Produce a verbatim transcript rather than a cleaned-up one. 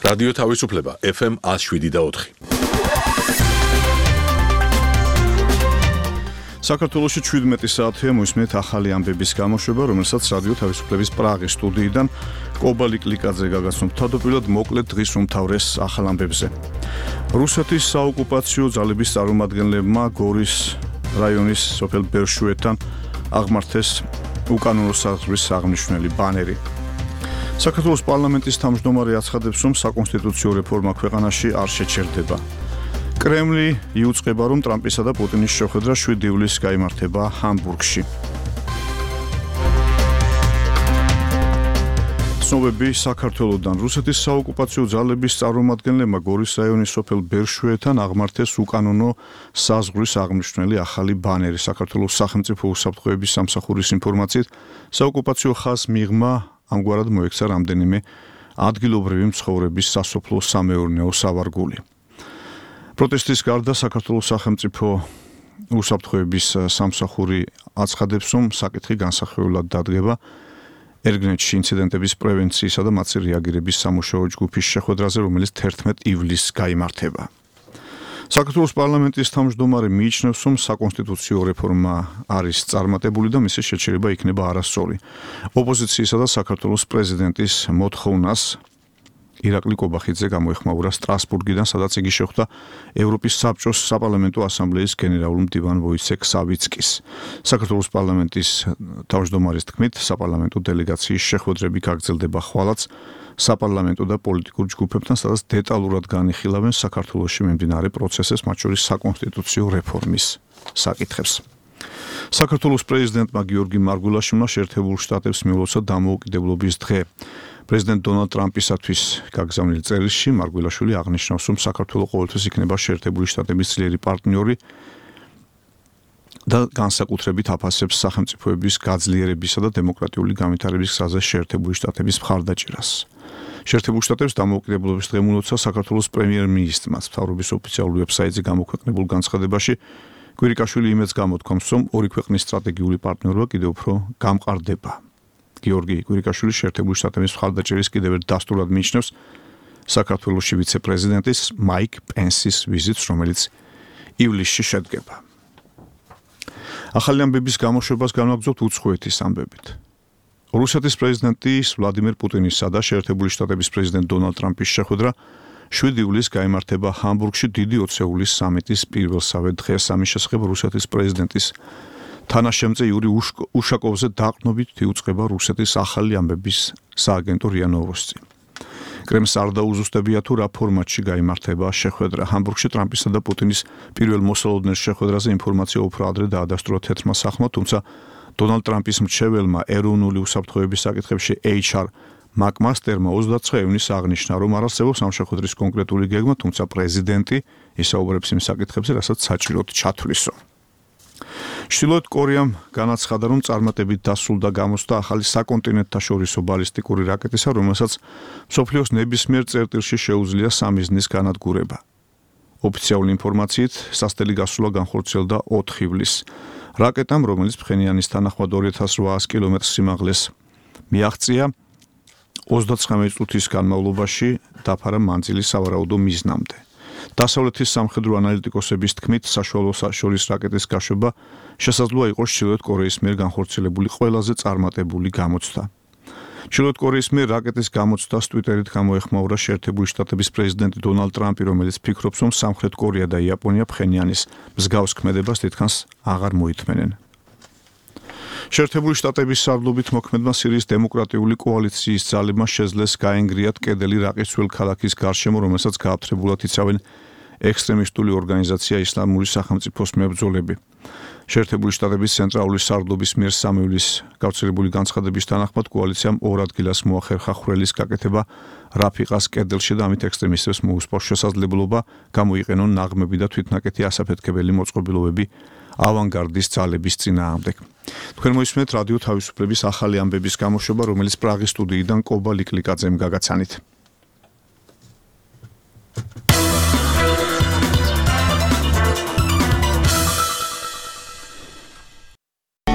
რადიო თავისუფლება ეფ ემ one oh seven და four. საქართველოში შვიდმეტი საათია მოისმენთ ახალი ამბების გამოშვება, რომელსაც რადიო თავისუფლების პრაღის სტუდიიდან კობალი კლიკაძე გაგაცნობთ. თავდაპირველად მოკლედ დღის უმთავრეს ახალ ამბებზე. რუსეთის საოკუპაციო ძალების წარმომადგენლებმა გორის რაიონის სოფელ ბერშუეთთან აღმართეს უკანონო საზღვრის აღნიშნული ბანერი. საქართველოს პარლამენტის თავმჯდომარე აცხადებს, რომ საკონსტიტუციო რეფორმა ქვეყანაში არ შეჩერდება. კრემლი იუწყება, რომ ტრამპისა და პუტინის შეხვედრა შვიდი ივლისს გაიმართება ჰამბურგში. ცნობები საქართველოდან. რუსეთის საოკუპაციო ძალების წარმომადგენლებმა გორის რაიონის სოფელ ბერშუეთთან აღმართეს უკანონო საზღვრის აღნიშნული ახალი ბანერი. საქართველოს სახელმწიფო უსაფრთხოების სამსახურის ინფორმაციით, საოკუპაციო ხაზს მიღმა ამგვარად მოექცა რამდენიმე ადგილობრივი მცხოვრების სასოფლო სამეურნეო სავარგული. პროტესტის გარდა საქართველოს სახელმწიფო უსაფრთხოების სამსახური აცხადებს, რომ საკითხი განსახილველად დადგება ერგნეთში ინციდენტების პრევენციისა და მათზე რეაგირების სამუშაო ჯგუფის შეხვედრაზე, რომელიც თერთმეტ ივლისს გაიმართება. საქართველოს პარლამენტის თავმჯდომარე მიიჩნევს, რომ საკონსტიტუციო რეფორმა არის წარმატებული და მისი შეჩერება იქნება არასწორი. ოპოზიციისა და საქართველოს პრეზიდენტის მოთხოვნას ირაკლი კობახიძე გამოეხმაურა სტრასბურგიდან, სადაც იგი შეხვდა ევროპის საბჭოს საპარლამენტო ასამბლეის გენერალურ მდივან ვოიცეკ სავიცკის. საქართველოს პარლამენტის თავმჯდომარის თქმით, საპარლამენტო დელეგაციის შეხვედრები გაგრძელდება ხვალაც საპარლამენტო და პოლიტიკურ ჯგუფებთან, სადაც დეტალურად განიხილავენ საქართველოში მიმდინარე პროცესებს, მათ შორის საკონსტიტუციო რეფორმის საკითხებს. საქართველოს პრეზიდენტმა გიორგი მარგულაშვილმა შეერთებულ შტატებს მიულოცა დამოუკიდებლობის დღე. პრეზიდენტ დონალდ ტრამპისათვის გაგზავნილ წერილში მარგულაშვილი აღნიშნავს, რომ საქართველო ყოველთვის იქნება შეერთებული შტატების ძლიერი პარტნიორი და განსაკუთრებით აფასებს სახელმწიფოების გაძლიერებისა და დემოკრატიული განვითარების გზაზე შეერთებული შტატების მხარდაჭერას. შეერთებულ შტატებს დამოუკიდებლობის დღე მიულოცა საქართველოს პრემიერ-მინისტრმა მთავრობის ოფიციალურ ვებსაიტზე გამოქვეყნებულ განცხადებაში. კვირიკაშვილი იმედს გამოთქვამს, რომ ორი ქვეყნის სტრატეგიული პარტნიორობა კიდევ უფრო გამყარდება. გიორგი კვირიკაშვილი შეერთებული შტატების მხარდაჭერის კიდევ ერთ დასტურად მიიჩნევს საქართველოში ვიცე-პრეზიდენტის მაიკ პენსის ვიზიტს, რომელიც ივლისში შედგება. ახალი ამბების გამოშვებას განვაგრძობთ უცხოეთის ამბებით. რუსეთის პრეზიდენტის ვლადიმერ პუტინისა და შეერთებული შტატების პრეზიდენტ დონალდ ტრამპის შეხვედრა შვიდი ივლისს გაიმართება ჰამბურგში დიდი ოცეულის სამიტის პირველსავე დღეს. ამის შესახებ რუსეთის პრეზიდენტის თანაშემწე იური უშაკოვზე დაყრდნობით იუწყება რუსეთის ახალი ამბების სააგენტო რია ნოვოსტი. კრემლს არ დაუზუსტებია თუ რა ფორმატში გაიმართება შეხვედრა. ჰამბურგში ტრამპისა და პუტინის პირველ მოსალოდნელ შეხვედრაზე ინფორმაცია უფრო ადრე დაადასტურა თეთრმა სახლმა, თუმცა დონალდ ტრამპის მრჩეველმა ეროვნული უსაფრთხოების საკითხებში ეიჩ არ მაკმასტერმა ოცდათხმეტი ივნისს აღნიშნა, რომ არ არსებობს ამ შეხვედრის კონკრეტული გეგმა, თუმცა პრეზიდენტი ისაუბრებს იმ საკითხებზე, რასაც საჭიროდ ჩათვლისო. ჩრდილოეთ კორეამ განაცხადა, რომ წარმატებით დასრულდა გამოცდა ახალი საკონტინენტთაშორისო ბალისტიკური რაკეტისა, რომელსაც მსოფლიოს ნებისმიერ წერტილში შეუძლია სამიზნის განადგურება. ოფიციალური ინფორმაციით, სასტელი გასვლა განხორციელდა ოთხ ივლისს. რაკეტამ, რომელიც ფხენიანის თანახმად ორი ათას ოთხასი კილომეტრ სიმაღლეს მიაღწია, ოცდათხმეტი წუთის განმავლობაში დაფარა მანძილი სავარაუდო მიზნამდე. დასავლეთის სამხედრო ანალიტიკოსების თქმით, საშუალო შორის რაკეტის გაშვება შესაძლოა იყოს ჩრდილოეთ კორეის მიერ განხორციელებული ყველაზე წარმატებული გამოცდა. ჩრდილოეთ კორეის მიერ რაკეტის გამოცდას ტვიტერით გამოეხმაურა შეერთებული შტატების პრეზიდენტი დონალდ ტრამპი, რომელიც ფიქრობს, რომ სამხრეთ კორეა და იაპონია ფხენიანის მსგავს ქმედებას თითქოს აღარ მოითმენენ. შეერთებული შტატების სარდლობით მოქმედმა სირიის დემოკრატიული კოალიციის ძალებმა შეძლეს გაენგრიათ კედელი რაყის ძველ ქალაქის გარშემო, რომელსაც გააფთრებულად იცავენ ექსტრემისტული ორგანიზაცია ისლამური სახელმწიფოს მებრძოლები. შეერთებული შტატების ცენტრალური სარდლობის მიერ სამი ივლისს გავრცელებული განცხადების თანახმად კოალიციამ ორ ადგილას მოახერხა ხვრელის გაკეთება რაფიყას კედელში და ამით ექსტრემისტებს მოუსპარს შესაძლებლობა გამოიყენონ ნაღმები და თვითნაკეთი ასაფეთქებელი მოწყობილობები ავანგარდის ძალების წინააღმდეგ. თქვენ მოისმენთ რადიო თავისუფლების ახალი ამბების გამოშვება, რომელიც პრაღის სტუდიიდან კობალი კლიკაძემ გაგაცანით.